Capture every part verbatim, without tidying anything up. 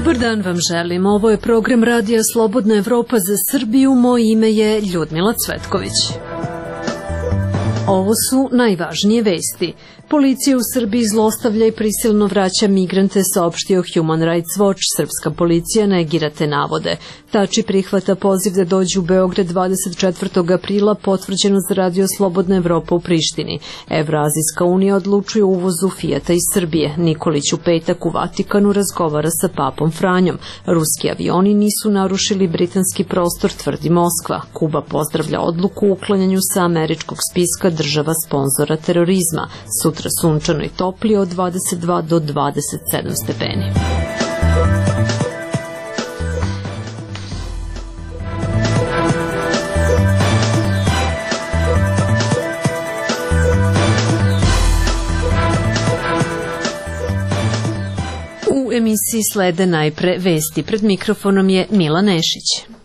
Dobar dan vam želim. Ovo je program Radija Slobodna Evropa za Srbiju. Moje ime je Ljudmila Cvetković. Ovo su najvažnije vesti. Policija u Srbiji zlostavlja i prisilno vraća migrante, saopštio Human Rights Watch. Srpska policija negira te navode. Tači prihvata poziv da dođe u Beograd dvadeset četvrtog aprila, potvrđeno za Radio Slobodna Evropa u Prištini. Evroazijska unija odlučuje o uvozu Fijata iz Srbije. Nikolić u petak u Vatikanu razgovara sa papom Franjom. Ruski avioni nisu narušili britanski prostor, tvrdi Moskva. Kuba pozdravlja odluku o uklanjanju sa američkog spiska država sponzora terorizma. Sutra sunčano i toplije od dvadeset dva do dvadeset sedam stepeni. U emisiji slede najpre vesti. Pred mikrofonom je Mila Nešić.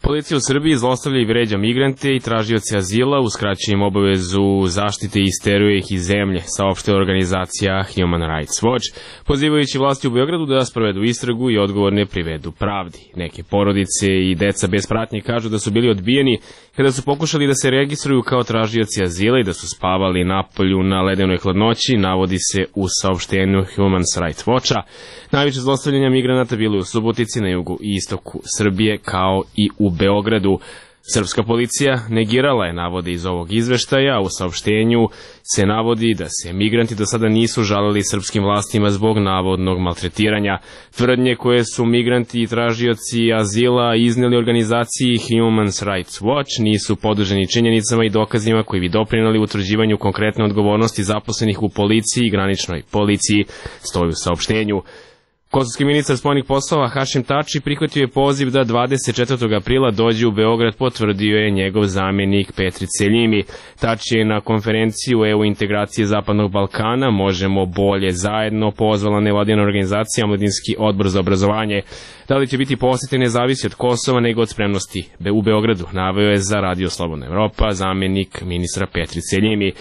Policija u Srbiji zlostavlja i vređa migrante i tražioce azila, uskraćuje im obavezu zaštite i isteruje ih iz zemlje, saopštila organizacija Human Rights Watch, pozivajući vlasti u Beogradu da sprovedu istragu i odgovorne privedu pravdi. Neke porodice i deca bez pratnje kažu da su bili odbijeni kada su pokušali da se registruju kao tražioci azila i da su spavali napolju na ledenoj hladnoći, navodi se u saopštenju Human Rights Watcha. Najveće zlostavljanja migranata bilo je u Subotici, na jugu i istoku Srbije, kao i u Beogradu. Srpska policija negirala je navode iz ovog izveštaja. U saopštenju se navodi da se migranti do sada nisu žalili srpskim vlastima zbog navodnog maltretiranja. Tvrdnje koje su migranti i tražioci azila izneli organizaciji Human Rights Watch nisu podloženi činjenicama i dokazima koji bi doprineli utvrđivanju konkretne odgovornosti zaposlenih u policiji i graničnoj policiji, stoji u saopštenju. Kosovski ministar spoljnih poslova Hašim Tači prihvatio je poziv da dvadeset četvrtog aprila dođe u Beograd, potvrdio je njegov zamjenik Petri Celjimi. Tači je na konferenciju E U integracije Zapadnog Balkana Možemo bolje zajedno pozvala nevladina organizacija Omladinski odbor za obrazovanje. Da li će biti posete ne zavisi od Kosova nego od spremnosti u Beogradu, naveo je za Radio Slobodna Evropa zamjenik ministra Petri Celjimi.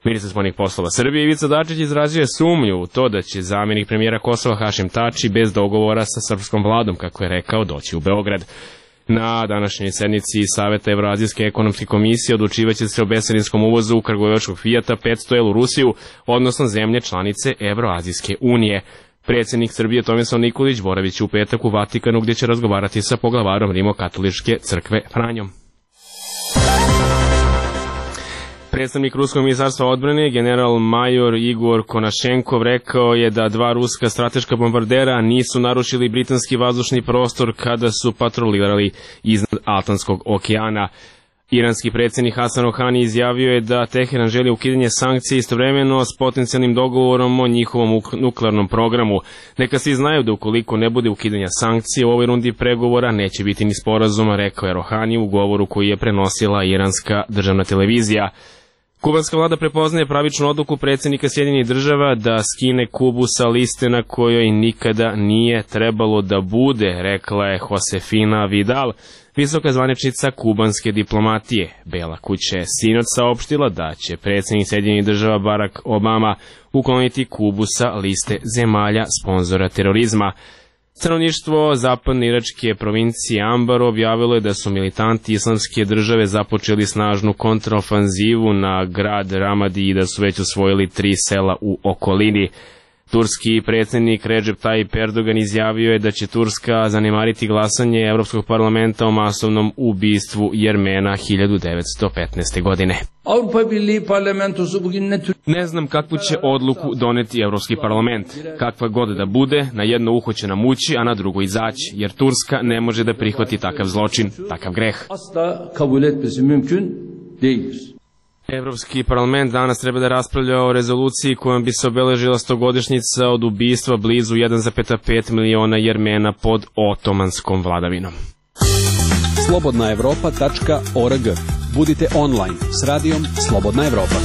Ministar spoljnih poslova Srbije Ivica Dačić izrazio je sumnju u to da će zamjenik premijera Kosova Hašim Tači bez dogovora sa srpskom vladom, kako je rekao, doći u Beograd. Na današnjoj sednici Saveta Evroazijske ekonomske komisije odlučivaće se o bescarinskom uvozu kragujevačkog Fijata petsto el u Rusiju, odnosno zemlje članice Evroazijske unije. Predsjednik Srbije Tomislav Nikolić boraviće u petak u Vatikanu, gdje će razgovarati sa poglavarom Rimokatoličke crkve Franjom. Predstavnik Ruskog ministarstva odbrane, general major Igor Konašenkov, rekao je da dva ruska strateška bombardera nisu narušili britanski vazdušni prostor kada su patrolirali iznad Atlantskog okeana. Iranski predsjednik Hasan Rohani izjavio je da Teheran želi ukidanje sankcija istovremeno s potencijalnim dogovorom o njihovom nuklearnom programu. Neka svi znaju da ukoliko ne bude ukidanja sankcija u ovoj rundi pregovora neće biti ni sporazuma, rekao je Rohani u govoru koji je prenosila iranska državna televizija. Kubanska vlada prepoznaje pravičnu odluku predsjednika Sjedinjenih država da skine Kubu sa liste na kojoj nikada nije trebalo da bude, rekla je Josefina Vidal, visoka zvaničnica kubanske diplomatije. Bela kuća je sinoć saopštila da će predsjednik Sjedinjenih država Barack Obama ukloniti Kubu sa liste zemalja sponzora terorizma. Stanovništvo zapadne iračke provincije Ambar objavilo je da su militanti islamske države započeli snažnu kontraofanzivu na grad Ramadi i da su već osvojili tri sela u okolini. Turski predsjednik Recep Tayyip Erdogan izjavio je da će Turska zanemariti glasanje Evropskog parlamenta o masovnom ubistvu Jermena hiljadu devetsto petnaeste. godine. Ne znam kakvu će odluku doneti Evropski parlament. Kakva god da bude, na jedno uho će nam ući, a na drugo izaći, jer Turska ne može da prihvati takav zločin, takav greh. Evropski parlament danas treba da raspravlja o rezoluciji kojom bi se obeležila stogodišnjica od ubistva blizu jedan zarez pet miliona Jermena pod otomanskom vladavinom. slobodna evropa tačka org. Budite online s radijom Slobodna Evropa.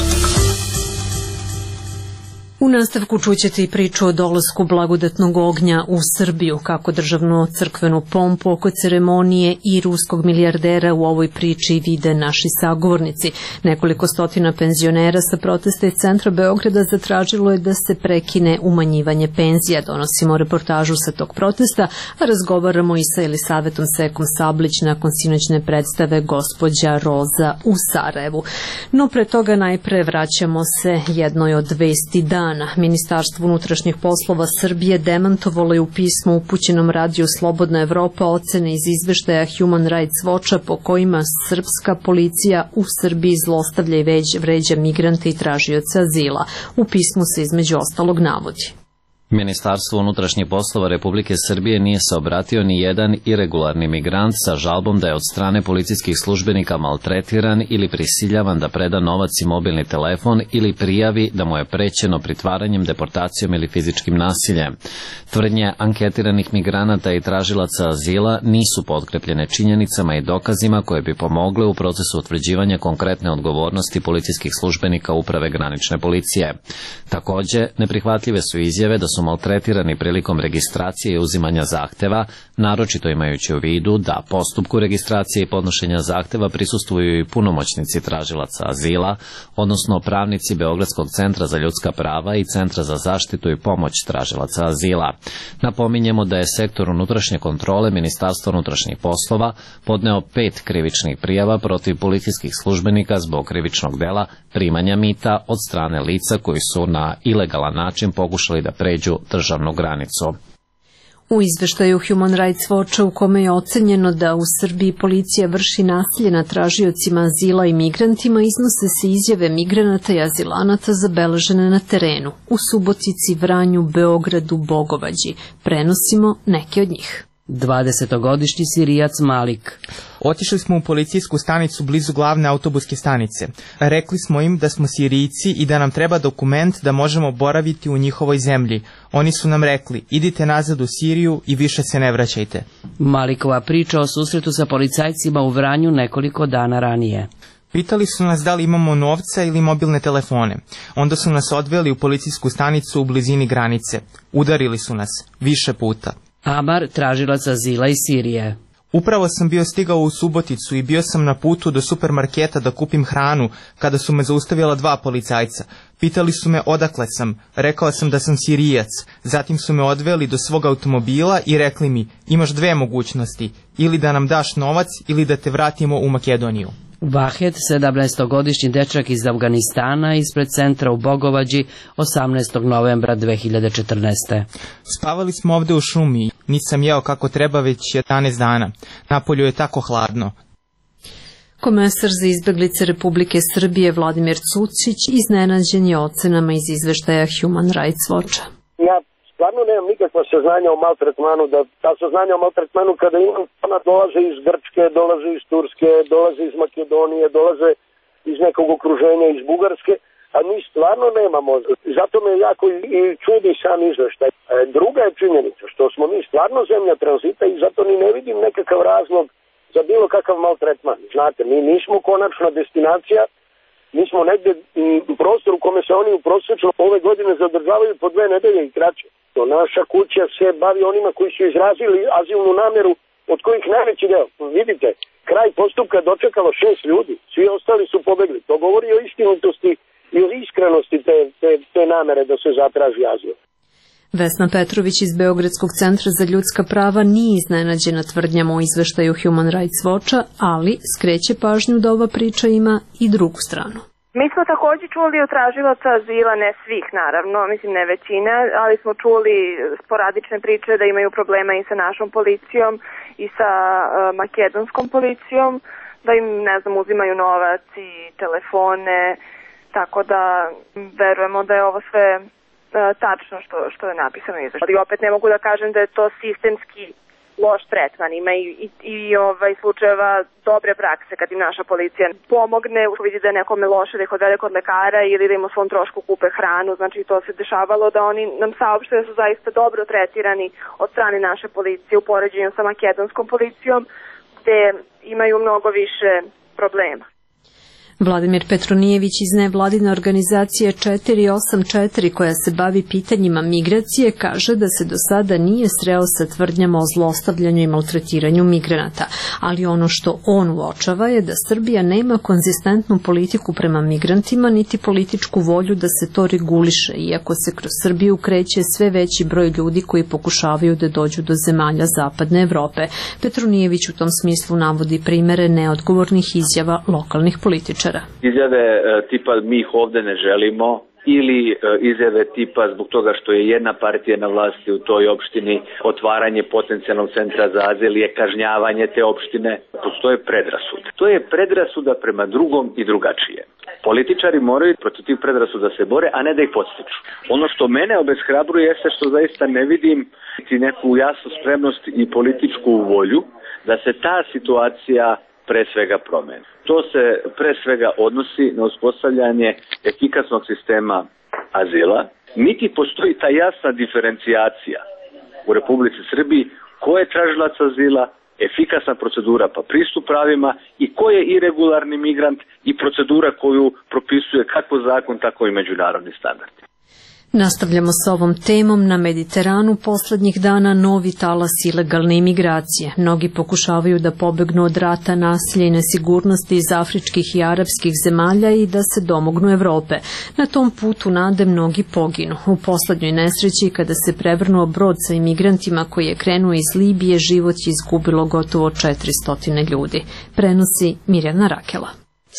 U nastavku čućete i priču o dolasku blagodatnog ognja u Srbiju, kako državnu crkvenu pompu oko ceremonije i ruskog milijardera u ovoj priči vide naši sagovornici. Nekoliko stotina penzionera sa protesta iz centra Beograda zatražilo je da se prekine umanjivanje penzija. Donosimo reportažu sa tog protesta, a razgovaramo i sa Elisavetom Sekom Sablić nakon sinoćne predstave Gospođa Roza u Sarajevu. No pre toga najpre vraćamo se jednoj od vesti dana. Ministarstvo unutrašnjih poslova Srbije demantovalo je u pismu upućenom radiju Slobodna Evropa ocene iz izveštaja Human Rights Watcha po kojima srpska policija u Srbiji zlostavlja i vređa migrante i tražioce azila. U pismu se između ostalog navodi: Ministarstvo unutrašnjih poslova Republike Srbije nije se obratio ni jedan iregularni migrant sa žalbom da je od strane policijskih službenika maltretiran ili prisiljavan da preda novac i mobilni telefon ili prijavi da mu je prećeno pritvaranjem, deportacijom ili fizičkim nasiljem. Tvrdnje anketiranih migranata i tražilaca azila nisu potkrepljene činjenicama i dokazima koje bi pomogle u procesu utvrđivanja konkretne odgovornosti policijskih službenika Uprave granične policije. Takođe, neprihvatljive su izjave da su maltretirani prilikom registracije i uzimanja zahteva, naročito imajući u vidu da postupku registracije i podnošenja zahteva prisustvuju i punomoćnici tražilaca azila, odnosno pravnici Beogradskog centra za ljudska prava i Centra za zaštitu i pomoć tražilaca azila. Napominjemo da je sektor unutrašnje kontrole Ministarstva unutrašnjih poslova podneo pet krivičnih prijava protiv policijskih službenika zbog krivičnog dela primanja mita od strane lica koji su na ilegalan način pokušali da pređu državnu granicu. U izveštaju Human Rights Watcha u kome je ocenjeno da u Srbiji policija vrši nasilje nad tražiocima azila i migrantima, iznose se izjave migranata i azilanata zabeležene na terenu u Subotici, Vranju, Beogradu, Bogovađi. Prenosimo neke od njih. dvadesetogodišnji Sirijac Malik. Otišli smo u policijsku stanicu blizu glavne autobuske stanice. Rekli smo im da smo Sirijci i da nam treba dokument da možemo boraviti u njihovoj zemlji. Oni su nam rekli: idite nazad u Siriju i više se ne vraćajte. Malikova priča o susretu sa policajcima u Vranju nekoliko dana ranije. Pitali su nas da li imamo novca ili mobilne telefone. Onda su nas odveli u policijsku stanicu u blizini granice. Udarili su nas više puta. Amar, tražilac azila iz Sirije. Upravo sam bio stigao u Suboticu i bio sam na putu do supermarketa da kupim hranu kada su me zaustavila dva policajca. Pitali su me odakle sam, rekao sam da sam Sirijac. Zatim su me odveli do svog automobila i rekli mi: imaš dve mogućnosti, ili da nam daš novac ili da te vratimo u Makedoniju. Vahed, sedamnaestogodišnji dečak iz Afganistana, ispred centra u Bogovađi, osamnaestog novembra dve hiljade četrnaeste. Spavali smo ovde u šumi, nisam jeo kako treba već jedanaest dana. Napolju je tako hladno. Komesar za izbeglice Republike Srbije Vladimir Cucić iznenađen je ocenama iz izveštaja Human Rights Watcha. Ja stvarno nemam nikakva saznanja o maltretmanu, da ta saznanja o maltretmanu kada imam, ona dolaze iz Grčke, dolaze iz Turske, dolaze iz Makedonije, dolaze iz nekog okruženja, iz Bugarske, a mi stvarno nemamo. Zato me jako i čudi sam izveštaj. Druga je činjenica što smo mi stvarno zemlja tranzita i zato ni ne vidim nekakav razlog za bilo kakav maltretman. Znate, mi nismo konačna destinacija, mi smo negde u prostoru u kome se oni u prosječno ove godine zadržavaju po dve nedelje i kraće. Naša kuća se bavi onima koji su izrazili azilnu nameru, od kojih najveći deo. Vidite, kraj postupka dočekalo šest ljudi, svi ostali su pobegli. To govori o istinitosti i o iskrenosti te, te, te namere da se zatraži azil. Vesna Petrović iz Beogradskog centra za ljudska prava nije iznenađena tvrdnjama o izveštaju Human Rights Watcha, ali skreće pažnju da ova priča ima i drugu stranu. Mi smo takođe čuli od tražilaca azila, ne svih naravno, mislim ne većina, ali smo čuli sporadične priče da imaju problema i sa našom policijom i sa uh, makedonskom policijom, da im, ne znam, uzimaju novac i telefone, tako da verujemo da je ovo sve uh, tačno što, što je napisano u izveštaju. Ali opet ne mogu da kažem da je to sistemski loš tretman, ima i, i, i ovaj, slučajeva dobre prakse kad im naša policija pomogne, vidi da je nekome loše, da ih odvede kod lekara ili da im o svom trošku kupe hranu, znači to se dešavalo da oni nam saopšte da su zaista dobro tretirani od strane naše policije u poređenju sa makedonskom policijom, gde imaju mnogo više problema. Vladimir Petronijević iz nevladine organizacije četiri osam četiri koja se bavi pitanjima migracije kaže da se do sada nije sreo sa tvrdnjama o zlostavljanju i maltretiranju migranata, ali ono što on uočava je da Srbija nema konzistentnu politiku prema migrantima niti političku volju da se to reguliše, iako se kroz Srbiju kreće sve veći broj ljudi koji pokušavaju da dođu do zemalja Zapadne Evrope. Petronijević u tom smislu navodi primere neodgovornih izjava lokalnih političara. Izjave tipa mi ih ovde ne želimo ili izjave tipa zbog toga što je jedna partija na vlasti u toj opštini, otvaranje potencijalnog centra za azil je kažnjavanje te opštine. Postoje predrasude. To je predrasuda prema drugom i drugačije. Političari moraju protiv tih predrasuda da se bore, a ne da ih podstiču. Ono što mene obeshrabruje jeste što zaista ne vidim neku jasnu spremnost i političku volju da se ta situacija pre svega promeni. To se pre svega odnosi na uspostavljanje efikasnog sistema azila, niti postoji ta jasna diferencijacija u Republici Srbiji ko je tražilac azila, efikasna procedura pa pristup pravima i ko je iregularni migrant i procedura koju propisuje kako zakon, tako i međunarodni standardi. Nastavljamo s ovom temom. Na Mediteranu poslednjih dana novi talas ilegalne imigracije. Mnogi pokušavaju da pobegnu od rata, nasilja i nesigurnosti iz afričkih i arapskih zemalja i da se domognu Evrope. Na tom putu nade mnogi poginu. U poslednjoj nesreći, kada se prevrnuo brod sa imigrantima koji je krenuo iz Libije, život je izgubilo gotovo četiristo ljudi. Prenosi Mirjana Rakela.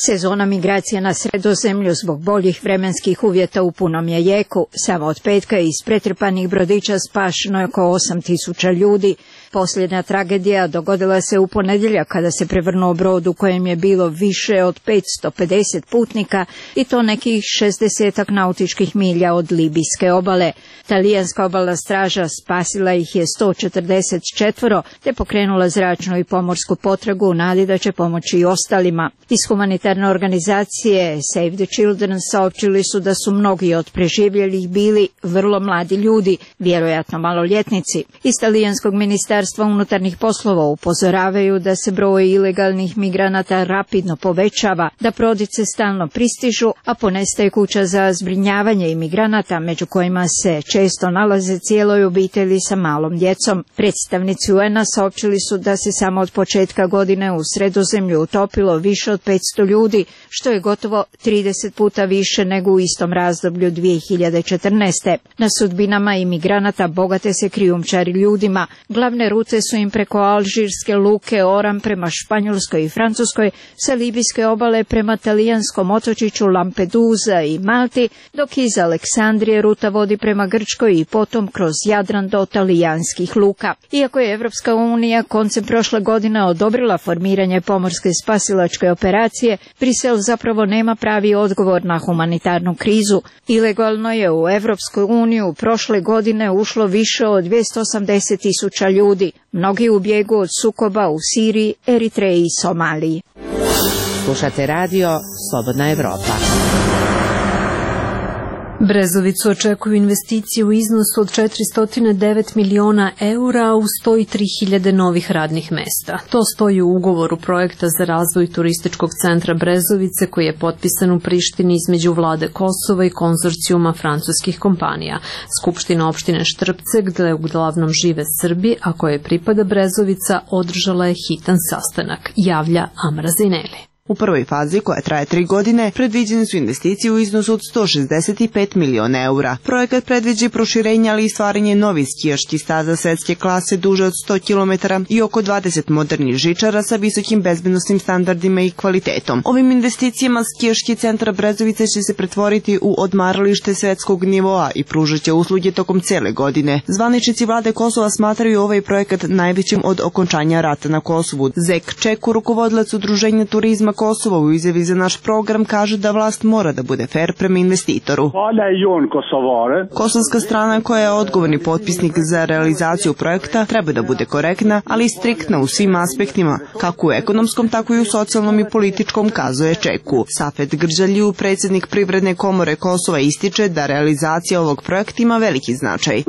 Sezona migracija na Sredozemlju zbog boljih vremenskih uvjeta u punom je jeku. Samo od petka iz pretrpanih brodića spašeno je oko osam tisuća ljudi. Posljednja tragedija dogodila se u ponedjeljak kada se prevrnuo brod u kojem je bilo više od petsto pedeset putnika i to nekih šezdesetak nautičkih milja od libijske obale. Talijanska obalna straža spasila ih je sto četrdeset četvoro te pokrenula zračnu i pomorsku potragu u nadi da će pomoći i ostalima. Iz humanitarne organizacije Save the Children saopćili su da su mnogi od preživjelih bili vrlo mladi ljudi, vjerojatno maloljetnici. Iz talijanskog ministarstva unutarnjih poslova upozoravaju da se broj ilegalnih migranata rapidno povećava, da brodice stalno pristižu, a ponestaje kuća za zbrinjavanje imigranata, među kojima se često nalaze cijeloj obitelji sa malom djecom. Predstavnici U N-a saopćili su da se samo od početka godine u Sredozemlju utopilo više od petsto ljudi, što je gotovo trideset puta više nego u istom razdoblju dvije hiljade četrnaeste. Na sudbinama imigranata bogate se krijumčari ljudima. Glavne rute su im preko alžirske luke Oran prema Španjolskoj i Francuskoj, sa libijske obale prema talijanskom otočiću Lampedusa i Malti, dok iz Aleksandrije ruta vodi prema Grčkoj i potom kroz Jadran do talijanskih luka. Iako je Evropska unija koncem prošle godine odobrila formiranje pomorske spasilačke operacije, Brisel zapravo nema pravi odgovor na humanitarnu krizu. Ilegalno je u Evropsku uniju prošle godine ušlo više od dvjesto osamdeset tisuća ljudi. Mnogi u bijegu od sukoba u Siriji, Eritreji i Somaliji. Slušate radio Slobodna Evropa. Brezovicu očekuju investicije u iznosu od četiristo devet miliona eura u sto tri hiljade novih radnih mesta. To stoji u ugovoru projekta za razvoj turističkog centra Brezovice koji je potpisan u Prištini između vlade Kosova i konzorcijuma francuskih kompanija. Skupština opštine Štrpce, gde uglavnom žive Srbi, a koje pripada Brezovica, održala je hitan sastanak, javlja Amra Zineli. U prvoj fazi, koja traje tri godine, predviđene su investicije u iznosu od sto šezdeset pet miliona eura. Projekat predviđa proširenje, ali i stvaranje novih skijaških staza svetske klase duže od sto kilometara i oko dvadeset modernih žičara sa visokim bezbednosnim standardima i kvalitetom. Ovim investicijama skijaški centar Brezovice će se pretvoriti u odmaralište svetskog nivoa i pružaće usluge tokom cele godine. Zvaničnici vlade Kosova smatraju ovaj projekat najvećim od okončanja rata na Kosovu. Zek Čeku, rukovodilac udruženja turizma Kosova, u izjavi za naš program kaže da vlast mora da bude fer prema investitoru. Kosovska strana, koja je odgovorni potpisnik za realizaciju projekta, treba da bude korektna, ali i striktna u svim aspektima, kako u ekonomskom, tako i u socijalnom i političkom, kazuje Čeku. Safet Grđalju, predsjednik Privredne komore Kosova, ističe da realizacija ovog projekta ima veliki značaj.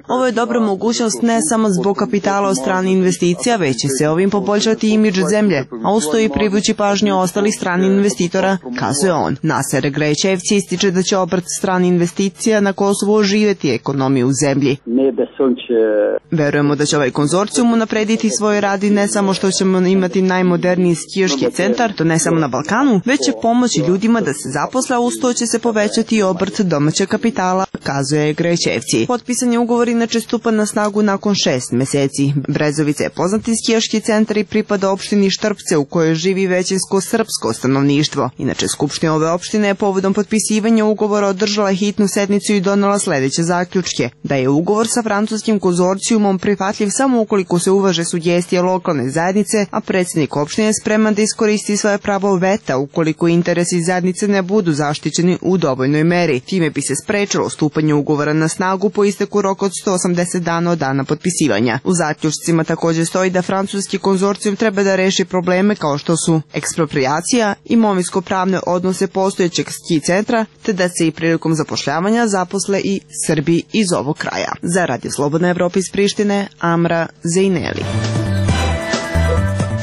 Ovo je dobra mogućnost ne samo zbog kapitala od strane investicija, već će se ovim poboljšati imidž zemlje, a u nastoji privući pažnju ostalih stranih investitora, kazuje on. Naser Grećevci ističe da će obrt strani investicija na Kosovu oživjeti ekonomiju u zemlji. Verujemo da će ovaj konzorcijum unaprediti svoj rad i ne samo što ćemo imati najmoderniji skijaški centar, to ne samo na Balkanu, već će pomoći ljudima da se zaposle, a uz to će se povećati i obrt domaćeg kapitala, kazuje Grećevci. Potpisan je ugovor inače stupa na snagu nakon šest meseci. Brezovica je poznati skijaški centar i pripada opštini Štrpce u kojoj živi većinsko srpsko stanovništvo. Inače, Skupština ove opštine je povodom potpisivanja ugovora održala hitnu sednicu i donela sledeće zaključke. Da je ugovor sa francuskim konzorcijumom prihvatljiv samo ukoliko se uvaže sugestije lokalne zajednice, a predsjednik opštine je spreman da iskoristi svoje pravo veta ukoliko interesi zajednice ne budu zaštićeni u dovoljnoj meri. Time bi se sprečilo stupanje ugovora na snagu po isteku roka od sto osamdeset dana od dana potpisivanja. U zaključcima također stoji da francuski konzorcijum treba da reši probleme kao što su eksproprijacija, imovinsko-pravne odnose postojećeg ski centra, te da se i prilikom zapošljavanja zaposle i Srbi iz ovog kraja. Za Radio Slobodna Evropa iz Prištine, Amra Zejneli.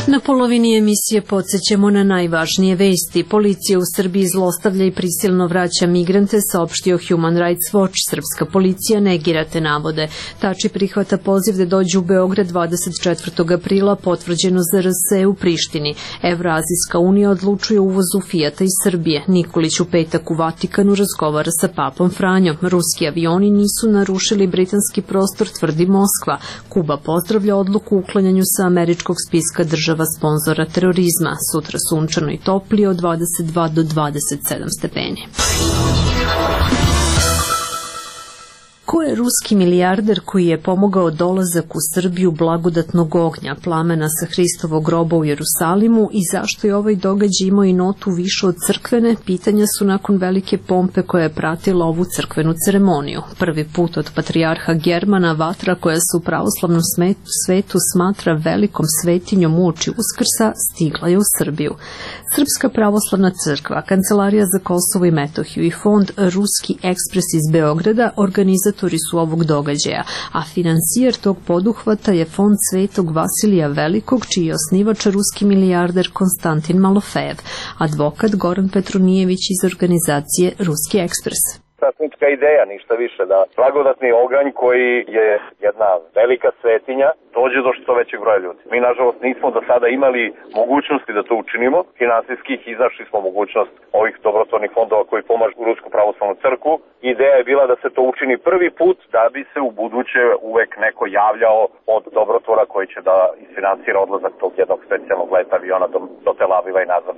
Na polovini emisije podsjećamo na najvažnije vesti. Policija u Srbiji zlostavlja i prisilno vraća migrante, saopštio Human Rights Watch. Srpska policija negira te navode. Tači prihvata poziv da dođu u Beograd dvadeset četvrtog aprila, potvrđeno za R S u Prištini. Evroazijska unija odlučuje o uvozu Fijata iz Srbije. Nikolić u petak u Vatikanu razgovara sa papom Franjom. Ruski avioni nisu narušili britanski prostor, tvrdi Moskva. Kuba pozdravlja odluku o uklanjanju sa američkog spiska država sponzora terorizma. Sutra sunčano i toplije od dvadeset dva do dvadeset sedam stepeni. Ko je ruski milijarder koji je pomogao dolazak u Srbiju blagodatnog ognja, plamena sa Hristovog groba u Jerusalimu, i zašto je ovaj događaj imao i notu više od crkvene, pitanja su nakon velike pompe koja je pratila ovu crkvenu ceremoniju. Prvi put od patrijarha Germana vatra koja se u pravoslavnom svetu smatra velikom svetinjom uoči Uskrsa stigla je u Srbiju. Srpska pravoslavna crkva, Kancelarija za Kosovo i Metohiju i fond Ruski ekspres iz Beograda organizatori su ovog događaja, a financijer tog poduhvata je fond Svetog Vasilija Velikog, čiji je osnivač ruski milijarder Konstantin Malofejev, advokat Goran Petronijević iz organizacije Ruski ekspres. Sasnička ideja, ništa više, da blagodatni oganj koji je jedna velika svetinja dođe do što većeg broja ljudi. Mi, nažalost, nismo do sada imali mogućnosti da to učinimo. Finansijskih iznašli smo mogućnost ovih dobrotvornih fondova koji pomažu u Rusku pravoslavnu crkvu. Ideja je bila da se to učini prvi put, da bi se u buduće uvek neko javljao od dobrotvora koji će da isfinansira odlazak tog jednog specijalnog leta aviona do, do Tel Aviva i nazad.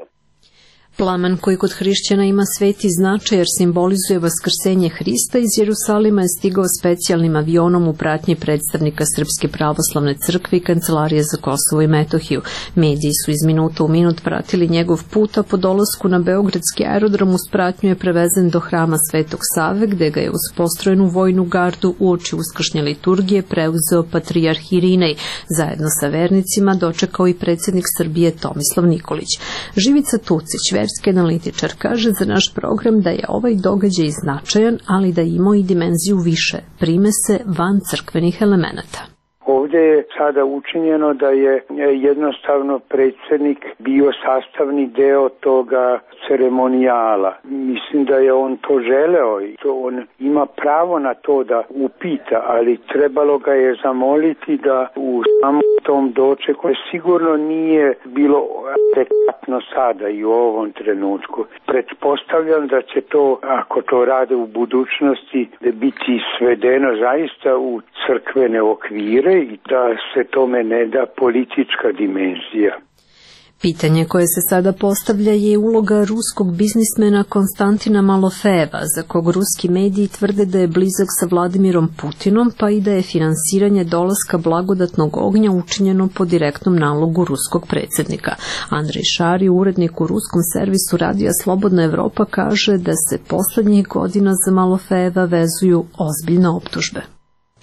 Plamen koji kod hrišćana ima sveti značaj jer simbolizuje vaskrsenje Hrista iz Jerusalima je stigao specijalnim avionom u pratnji predstavnika Srpske pravoslavne crkve i Kancelarije za Kosovo i Metohiju. Mediji su iz minuta u minut pratili njegov put, a po dolasku na beogradski aerodrom uz pratnju je prevezen do hrama Svetog Save, gde ga je uz postrojenu vojnu gardu uoči uskršnje liturgije preuzeo patrijarh Irinej. Zajedno sa vernicima dočekao i predsjednik Srbije Tomislav Nikolić. Živica Tucić, verski analitičar, kaže za naš program da je ovaj događaj značajan, ali da ima i dimenziju više, primese van crkvenih elemenata. Ovdje je sada učinjeno da je jednostavno predsjednik bio sastavni deo toga ceremonijala. Mislim da je on to želeo i to on ima pravo na to da upita, ali trebalo ga je zamoliti da u samom tom dočeku sigurno nije bilo adekvatno sada i u ovom trenutku. Pretpostavljam da će to, ako to rade u budućnosti, da biti svedeno zaista u crkvene okvire i da se tome ne da politička dimenzija. Pitanje koje se sada postavlja je uloga ruskog biznismena Konstantina Malofejeva, za kog ruski mediji tvrde da je blizak sa Vladimirom Putinom, pa i da je finansiranje dolaska blagodatnog ognja učinjeno po direktnom nalogu ruskog predsjednika. Andrej Šari, urednik u ruskom servisu radija Slobodna Evropa, kaže da se poslednjih godina za Malofejeva vezuju ozbiljne optužbe.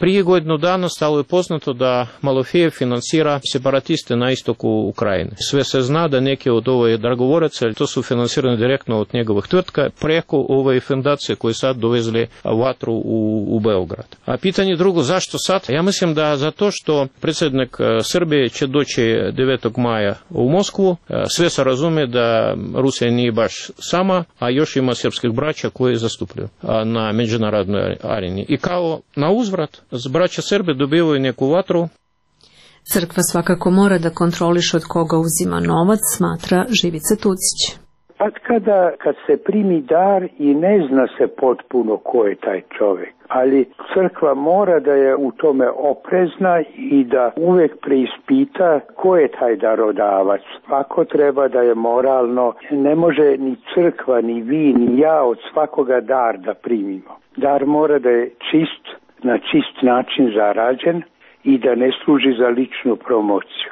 Prije godinu dana stalo je poznato da Malofejev finansira separatiste na istoku Ukrajine. Sve se zna da neki od ove dragovoraca, to su finansirani direktno od njegovih tvrtka, preko ove fundacije koje sad dovezli vatru u, u Beograd. A pitanje drugo, zašto sad? Ja mislim da zato što predsjednik Srbije će doći devetog maja u Moskvu, sve se razume da Rusija nije baš sama, a još ima srpskih braća koji zastupljaju na međunarodnoj areni. I kao na uzvrat, braća Srbe dobivaju neku vatru. Crkva svakako mora da kontroliše od koga uzima novac, smatra Živica Tucić. Kad kada kad se primi dar i ne zna se potpuno ko je taj čovjek, ali crkva mora da je u tome oprezna i da uvek preispita ko je taj darodavac. Ako treba da je moralno, ne može ni crkva, ni vi, ni ja od svakoga dar da primimo. Dar mora da je čist, na čist način zarađen i da ne služi za ličnu promociju.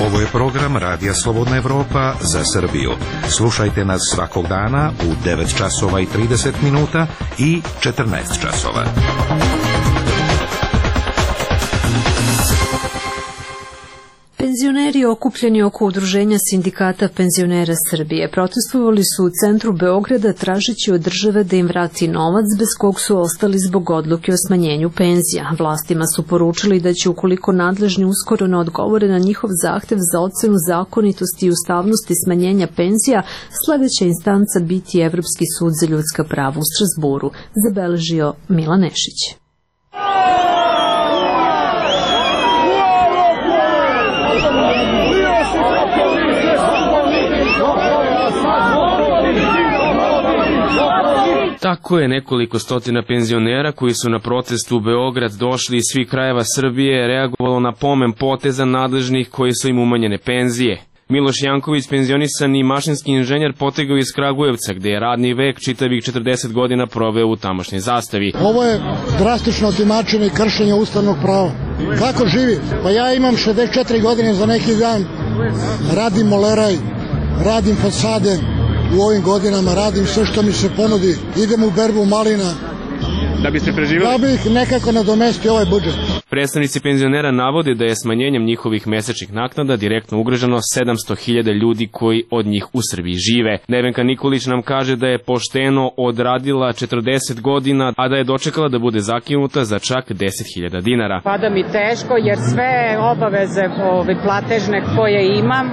Ovo je program Radija Slobodna Evropa za Srbiju. Slušajte nas svakog dana u devet časova i trideset minuta i četrnaest časova. Penzioneri okupljeni oko udruženja sindikata penzionera Srbije protestovali su u centru Beograda tražeći od države da im vrati novac bez kog su ostali zbog odluke o smanjenju penzija. Vlastima su poručili da će, ukoliko nadležni uskoro ne odgovore na njihov zahtev za ocenu zakonitosti i ustavnosti smanjenja penzija, sledeća instanca biti Evropski sud za ljudska prava u Strazburu, zabeležio Milan Nešić. Tako je nekoliko stotina penzionera koji su na protestu u Beograd došli iz svih krajeva Srbije reagovalo na pomen poteza nadležnih koji su im umanjene penzije. Miloš Janković, penzionisani mašinski inženjer, potegao iz Kragujevca, gde je radni vek čitavih četrdeset godina proveo u tamošnjoj zastavi. Ovo je drastično otimačenje i kršenje ustavnog prava. Kako živi? Pa ja imam šezdeset četiri godine za neki dan, radim moleraj, radim fasade, u ovim godinama radim sve što mi se ponudi, idem u berbu malina. Da biste preživjeli? Da bih nekako nadomestio ovaj budžet. Predstavnici penzionera navode da je smanjenjem njihovih mesečnih naknada direktno ugroženo sedamsto hiljada ljudi koji od njih u Srbiji žive. Nevenka Nikolić nam kaže da je pošteno odradila četrdeset godina, a da je dočekala da bude zakinuta za čak deset hiljada dinara. Pada mi teško jer sve obaveze ove platežne koje imam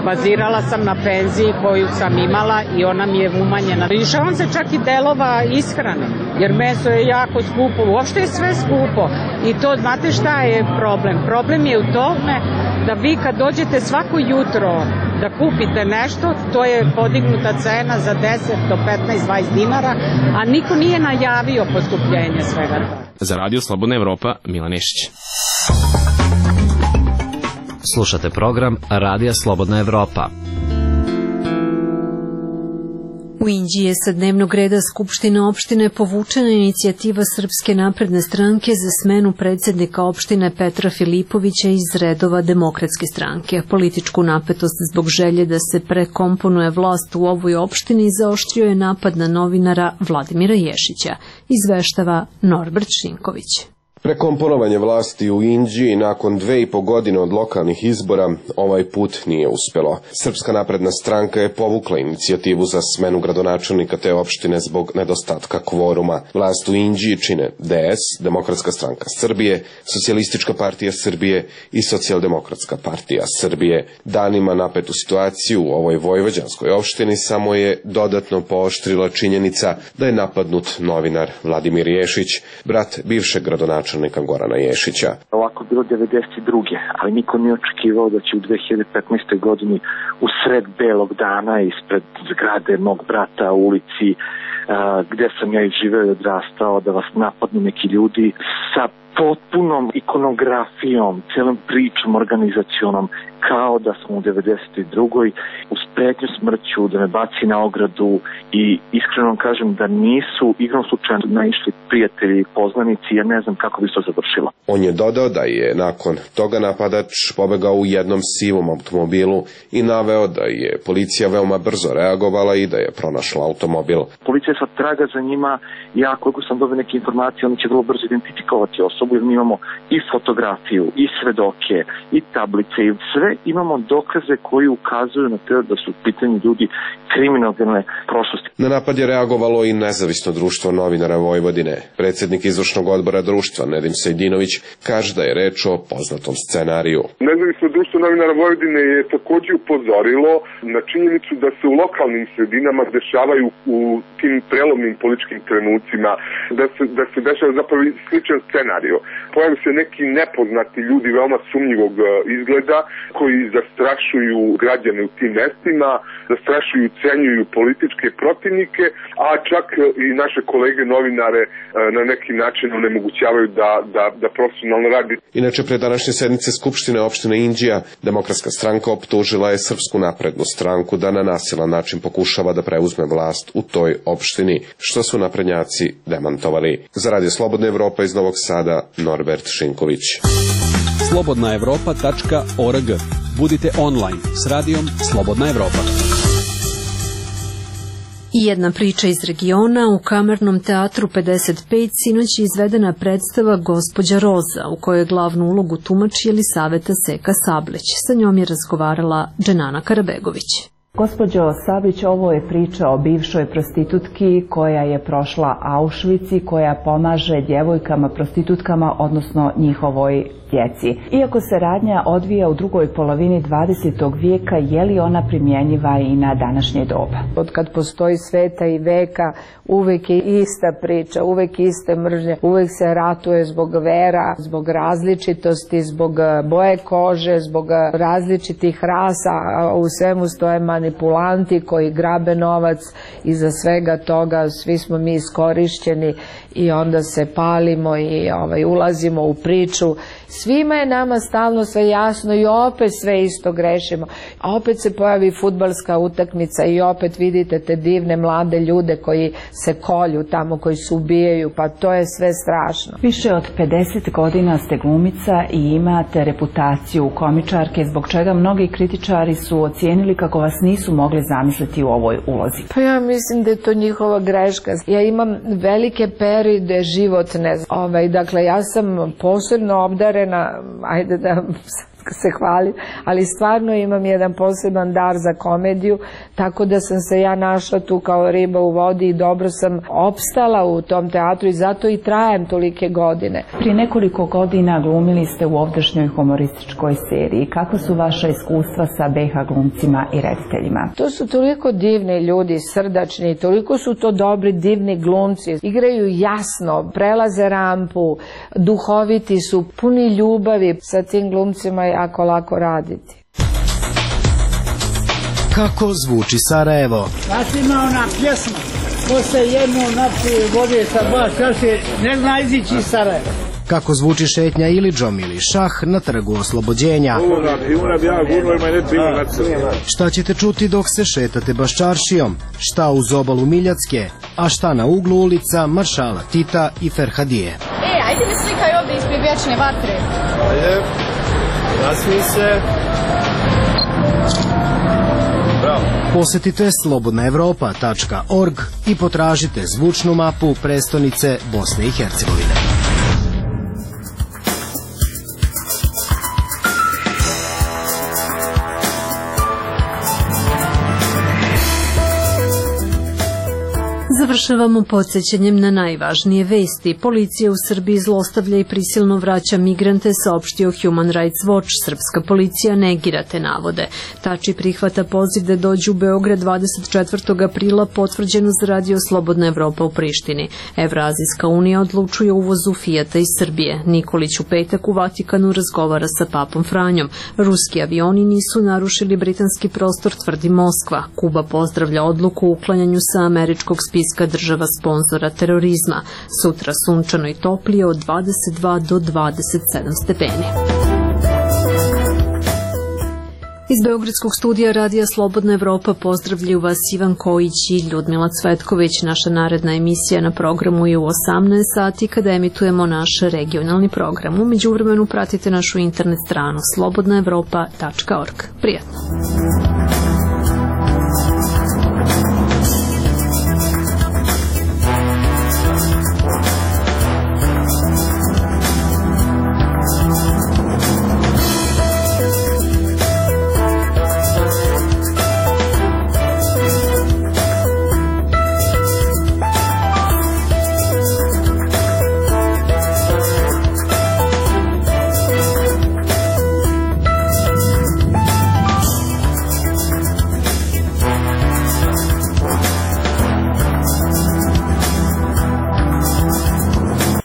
bazirala sam na penziji koju sam imala i ona mi je umanjena. Lišavam se čak i delova ishrane jer meso je jako skupo, uopšte je sve skupo i to, znate šta je problem? Problem je u tome da vi kad dođete svako jutro da kupite nešto, to je podignuta cena za deset do petnaest do dvadeset dinara, a niko nije najavio poskupljenje svega toga. Za Radio Slobodna Evropa, Milan Nešić. Slušate program Radija Slobodna Evropa. U Inđiji je sa dnevnog reda Skupštine opštine povučena inicijativa Srpske napredne stranke za smenu predsjednika opštine Petra Filipovića iz redova Demokratske stranke. Političku napetost zbog želje da se prekomponuje vlast u ovoj opštini zaoštrio je napad na novinara Vladimira Ješića, izveštava Norbert Šinković. Prekomponovanje vlasti u Inđiji nakon dve i po godine od lokalnih izbora ovaj put nije uspelo. Srpska napredna stranka je povukla inicijativu za smenu gradonačelnika te opštine zbog nedostatka kvoruma. Vlast u Inđiji čine D S, Demokratska stranka Srbije, Socijalistička partija Srbije i Socijaldemokratska partija Srbije. Danima napetu situaciju u ovoj vojvođanskoj opštini samo je dodatno pooštrila činjenica da je napadnut novinar Vladimir Ješić, brat bivšeg gradonačelnika Gorana Ješića. Ovako bilo devedeset druge ali niko nije očekivao da će u dve hiljade petnaestoj godini u sred belog dana ispred zgrade mog brata u ulici a, gde sam ja i živeo i odrastao, da vas napadnu neki ljudi sa potpunom ikonografijom, celom pričom, organizacionom, kao da smo u devedeset drugoj uz pretnju smrću, da me baci na ogradu i iskreno kažem da nisu igrom slučajno naišli prijatelji i poznanici, ja ne znam kako bi to završilo. On je dodao da je nakon toga napadač pobegao u jednom sivom automobilu i naveo da je policija veoma brzo reagovala i da je pronašla automobil. Policija sad traga za njima, ja koliko sam dobio neke informacije, oni će vrlo brzo identifikovati osobu, jer mi imamo i fotografiju, i svedoke, i tablice, i sve imamo dokaze koji ukazuju na to da su u pitanju ljudi kriminalne prošlosti. Na napad je reagovalo i nezavisno društvo novinara Vojvodine. Predsjednik izvršnog odbora društva Nedim Sejdinović kaže da je reč o poznatom scenariju. Nezavisno društvo novinara Vojvodine je također upozorilo na činjenicu da se u lokalnim sredinama dešavaju u tim prelomnim političkim trenucima, da se, da se dešava zapravo sličan scenariju. Pojavaju se neki nepoznati ljudi veoma sumnjivog izgleda koji zastrašuju građane u tim mestima, zastrašuju i ucenjuju političke protivnike, a čak i naše kolege novinare na neki način onemogućavaju da, da, da profesionalno radi. Inače, pre današnje sednice Skupštine opštine Inđija, Demokratska stranka optužila je Srpsku naprednu stranku da na nasilan način pokušava da preuzme vlast u toj opštini, što su naprednjaci demantovali. Za Radio Slobodna Evropa iz Novog Sada, Norbert Šinković. slobodna evropa tačka org. Budite online s radijom Slobodna Evropa. I jedna priča iz regiona. U Kamernom teatru pedeset pet sinoć je izvedena predstava Gospođa Roza, u kojoj glavnu ulogu tumači Jelisaveta Seka Sableć. Sa njom je razgovarala Dženana Karabegović. Gospođo Sablić, ovo je priča o bivšoj prostitutki koja je prošla Auschwitz i koja pomaže djevojkama prostitutkama, odnosno njihovoj djeci. Iako se radnja odvija u drugoj polovini dvadesetog vijeka, je li ona primjenjiva i na današnje doba? Od kad postoji sveta i veka, uvek je ista priča, uvek iste mržnje, uvek se ratuje zbog vera, zbog različitosti, zbog boje kože, zbog različitih rasa, a u svemu stoje manipulanti koji grabe novac. Iza svega toga svi smo mi iskorišćeni i onda se palimo i ovaj, ulazimo u priču. Svima je nama stalno sve jasno i opet sve isto grešimo. A opet se pojavi fudbalska utakmica i opet vidite te divne mlade ljude koji se kolju tamo, koji se ubijaju, pa to je sve strašno. Više od pedeset godina ste glumica i imate reputaciju komičarke, zbog čega mnogi kritičari su ocijenili kako vas nisu mogli zamisliti u ovoj ulozi. Pa ja mislim da je to njihova greška. Ja imam velike periode životne. Ovaj, dakle, ja sam posebno obdarena, ajde da se hvalim, ali stvarno imam jedan poseban dar za komediju, tako da sam se ja našla tu kao riba u vodi i dobro sam opstala u tom teatru i zato i trajem tolike godine. Prije nekoliko godina glumili ste u ovdašnjoj humorističkoj seriji. Kako su vaša iskustva sa be ha glumcima i rediteljima? To su toliko divni ljudi, srdačni, toliko su to dobri, divni glumci. Igraju jasno, prelaze rampu, duhoviti su, puni ljubavi. Sa tim glumcima je jako lako raditi. Kako zvuči Sarajevo? Znači ima ona pjesma, ko se jedno napije vode sa dva čaše, ne zna izići iz Sarajeva. Kako zvuči šetnja Ilidžom ili šah na trgu Oslobođenja? Šta ćete čuti dok se šetate Baščaršijom? Šta uz obalu Miljacke? A šta na uglu ulica Maršala Tita i Ferhadije? E, ajde mi slikaj ovdje ispred vječne vatre. Ajde, nasmi se. Bravo. Posetite slobodna evropa tačka org i potražite zvučnu mapu prestonice Bosne i Hercegovine. Završavamo podsjećanjem na najvažnije vesti. Policija u Srbiji zlostavlja i prisilno vraća migrante, saopštio Human Rights Watch. Srpska policija negira te navode. Tači prihvata poziv da dođu u Beograd dvadeset četvrtog aprila, potvrđeno za Radio Slobodna Evropa u Prištini. Evrazijska unija odlučuje o uvozu Fijata iz Srbije. Nikolić u petak u Vatikanu razgovara sa papom Franjom. Ruski avioni nisu narušili britanski prostor, tvrdi Moskva. Kuba pozdravlja odluku o uklanjanju sa američkog spiska Islamska država sponzora terorizma. Sutra sunčano i toplije od dvadeset dva do dvadeset sedam stepeni. Iz Beogradskog studija Radija Slobodna Evropa pozdravljaju vas Ivan Kojić i Ljudmila Cvetković. Naša naredna emisija na programu je u osamnaest sati kada emitujemo naš regionalni program. U međuvremenu pratite našu internet stranu slobodna evropa tačka org. Prijatno!